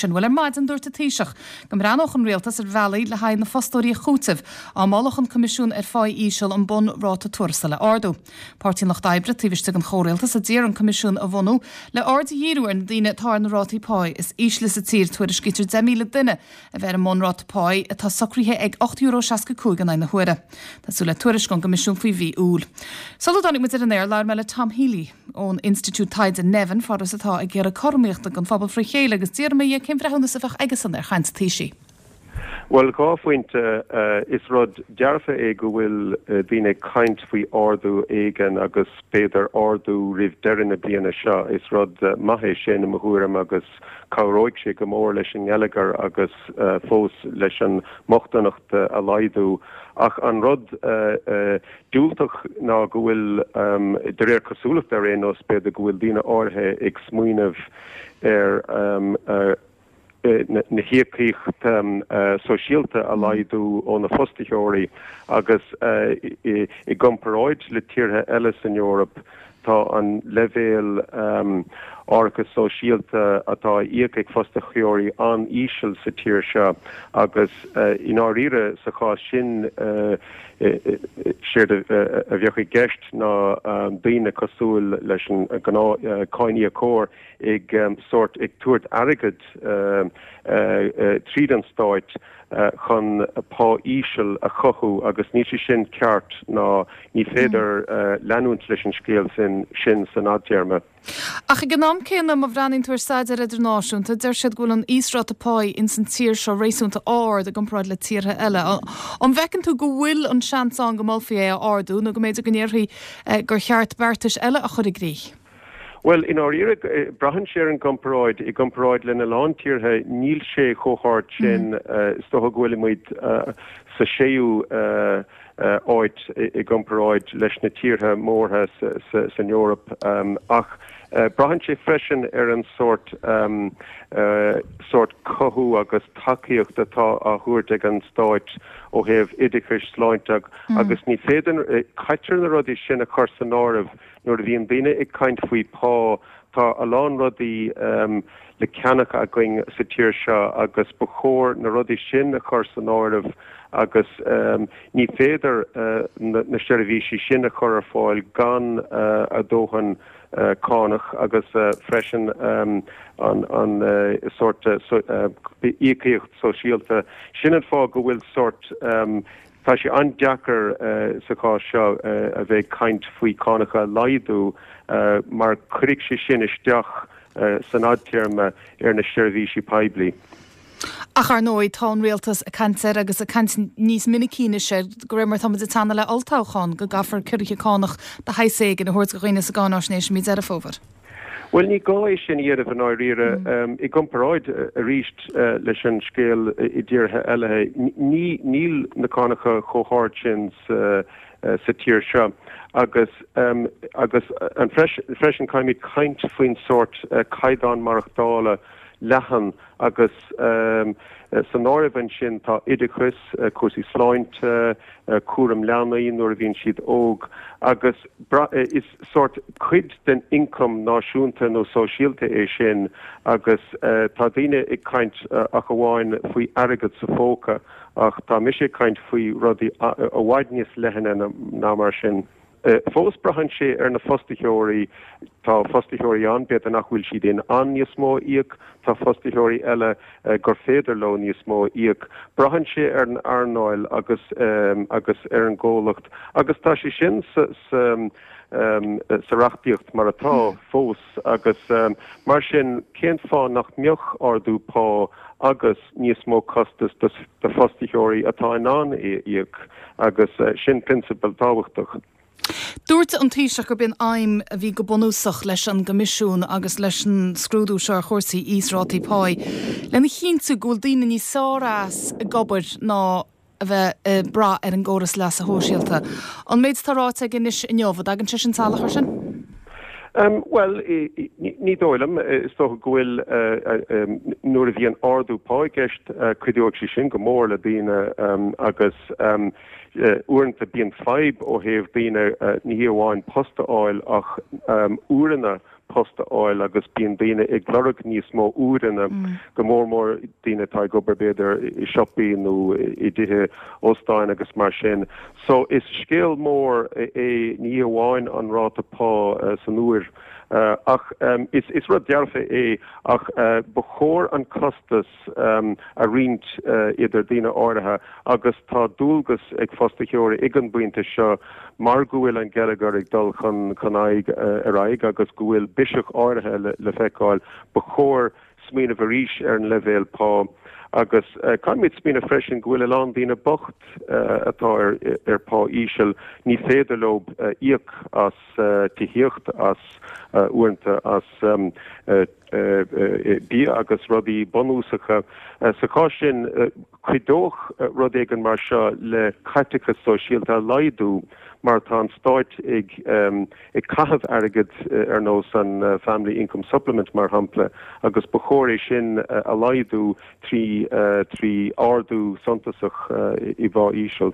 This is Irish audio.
Sin. Bhuel, ar maidin dúirt an Taoiseach go mbreathnódh an Rialtas ar bhealaí le haghaidh na fostóirí a chúiteamh dá molfadh an Coimisiún ar Phá Íseal an bun-ráta tuarastail a ardú. Páirtí an Lucht Oibre taobh istigh den chomhrialtas a d'iarr an Coimisiún a bhunú le aird a dhíriú ar na daoine atá ar na rátaí páí is ísle sa tír. Tuairiscítear 10,000 duine a bheith ar an mbunráta páí atá socraithe ag €8.65 in aghaidh na huaire. Tá súil le tuairisc ón gCoimisiún faoi mhí Iúil. Sula dtáinig muid ar an aer labhair mé le Tom Healy. ón Institiúid Taighde Nevin, foras atá ag iarraidh cothromaíochta don phobal fré chéile agus d'fhiafraigh mé dhe cén bhreithiúnas a bheadh aigesan ar chaint an Taoisigh. Bhuel, 2 phointe. Is rud dearfa é go bhfuil daoine ag caint faoi ardú éigin agus b'fhéidir ardú roimh deireadh na bliana seo. Is rud maith é sin i mo thuairim agus cabhróidh sé go mór leis an ngeilleagar agus fós leis an mbochtaineacht a laghdú. Ach an rud diúltach ná go bhfuil, de réir cosúlachta ar aon nós, b'fhéidir go bhfuil daoine áirithe ag smaoineamh ar na híocaíocht sóisialta a laghdú ó na fostaitheoirí agus i gcomparáid le tíortha eile san Eoraip tá an leibhéal árachas sóisialta atá á íoc ag fostaitheoirí an-íseal sa tír seo agus i ndáiríre sa chás sin séard a bheadh i gceist ná daoine cosúil leis an ngnáth-cháiníocóir ag sórt ag tabhairt airgead tríd an stáit chun pá íseal a chothú agus níl sé sin ceart ná ní féidir leanúint leis an scéal sin sin san fhadtéarma. Ach ag an am céanna, má bhreathnaíonn tú ar staidéir idirnáisiúnta, deir siad go bhfuil an íosráta páí ins an tír seo réasúnta ard i gcomparáid le tíortha eile. An bhfeiceann tú go bhfuil an seans ann go molfaí é a ardú nó go mb'fhéidir go ndéarfaí gur cheart beartais eile a chur i gcrích? Bhuel, i ndáiríre, braitheann sé ar an gcomparáid. I gcomparáid lena lán tíortha, níl sé chomh hard sin. Is dócha go bhfuilimid sa séú áit i gcomparáid leis na tíortha mórtha san Eoraip. Ach braitheann sé freisin ar an sórt sórt cothú agus tacaíocht atá á thabhairt ag an stáit ó thaobh oideachais, sláinte agus ní féidir, caitear na rudaí sin a chur san áireamh Nuair a bhíonn daoine ag caint faoi pá, tá a lán rudaí le ceannach againn sa tír seo agus ba chóir na rudaí sin a chur san áireamh agus ní féidir na seirbhísí sin a chur ar fáil gan a dóthain cánach agus freisin an sórt íocaíocht sóisialta. Sin an fáth go bhfuil sórt Tá sé an-deacair sa chás seo a bheith ag caint faoi cánacha a laghdú mar cuirfidh sé sin isteach san fhadtéarma ar na seirbhísí poiblí. Ach ar ndóigh tá an rialtas ag caint air agus ag caint níos minicí anois air de réir mar atá muid ag teannadh le olltoghchán go gcaithfear ciorruithe cánach de shaghas éigin a thabhairt do dhaoine sa gcáináisnéis i mí Deireadh Fómhair. Bhuel, ní gá é sin a dhéanamh i ndáiríre. I gcomparáid, arís, leis an scéal i dtíortha eile, níl na cánacha chomh hard sin sa tír seo. Agus, agus freisin, caithfimid caint faoin sórt caighdeán maireachtála leathan agus san áireamh ansin tá oideachas, cúrsaí sláinte, cúram leanaí nuair a bhíonn siad óg agus is sórt cuid den ioncam náisiúnta nó sóisialta é sin agus tá daoine ag caint ach amháin faoi airgead sa phóca ach tá mise ag caint faoi rudaí i bhfad níos leithne ná mar sin. Fós braitheann sé ar na fostaitheoirí. Tá fostaitheoirí ann, b'fhéidir nach bhfuil siad in ann níos mó a íoc, tá fostaitheoirí eile gur féidir leo níos mó a íoc. Braitheann sé ar an earnáil agus agus ar an gcomhlacht agus tá sé sin sa sa reachtaíocht mar atá fós agus mar sin cén fáth nach mbeadh ardú pá agus níos mó costas do fostaitheoirí atá in ann é a íoc agus sin prionsabal tábhachtach. Dúirt an Taoiseach gurb í an aidhm a bhí go bunúsach leis an gCoimisiún agus leis an scrúdú seo ar chúrsaí íosrátaí páí lena chinntiú go bhfuil daoine níos fearr as ag obair ná a bheith ag brath ar an gcóras leasa shóisialta. An méid atá ráite aige anois inniu, an dtagann sé sin salach air sin? Bhuel, ní dóigh liom. Is dócha go bhfuil, nuair a bhíonn ardú pá i gceist, cuideoidh sé sin go mór le daoine agus uaireanta bíonn fadhb ó thaobh daoine ní hé amháin post a fháil ach uaireanna. post a fháil agus bíonn daoine ag lorg níos mó uaireanna, go mór mór daoine atá ag obair b'fhéidir i siopaí nó i dtithe óstáin agus mar sin. So is scéal mór é ní hamháin an ráta pá san uair ach is rud dearfa é ach ba chóir an costas a roinnt idir daoine áirithe agus tá dualgas ag fostaitheoirí ag an bpointe seo mar go bhfuil an geilleagar ag dul chun aghaidh ar aghaidh agus go bhfuil biseach áirithe le feiceáil, ba chóir smaoineamh arís ar an leibhéal pá agus caithfimid smaoineamh freisin go bhfuil a lán daoine bocht atá ar pá íseal, ní féidir leo íoc as tithíocht, as uaireanta as bia agus rudaí bunúsacha. Sa chás sin, cuideoidh rud éigin mar seo le caiteachas sóisialta a laghdú mar tá an stáit ag ag caitheamh airgid ar nós an Family Income Supplement mar shampla agus ba chóir é sin a laghdú trí ardú suntasach i bpá íseal.